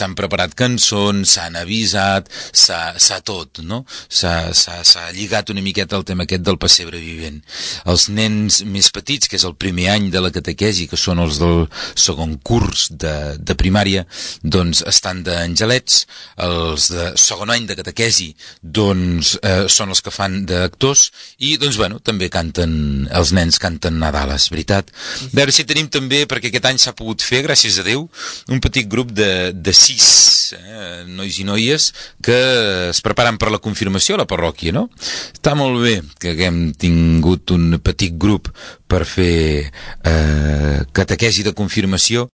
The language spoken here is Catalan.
s'han preparat cançons, s'han avisat, s'ha tot, no? S'ha lligat una miqueta el tema aquest del pessebre vivent. Els nens més petits, que és el primer any de la catequesi, que són els del segon curs de primària, doncs estan d'angelets. Els de segon any de catequesi, doncs són els que fan d'actors, i doncs bueno, també canten, els nens canten Nadales, veritat? A veure si tenim també, perquè aquest any s'ha pogut fer, gràcies a Déu, un petit grup de 6 nois i noies que es preparen per la confirmació a la parròquia, no? Està molt bé que haguem tingut un petit grup per fer catequesi de confirmació.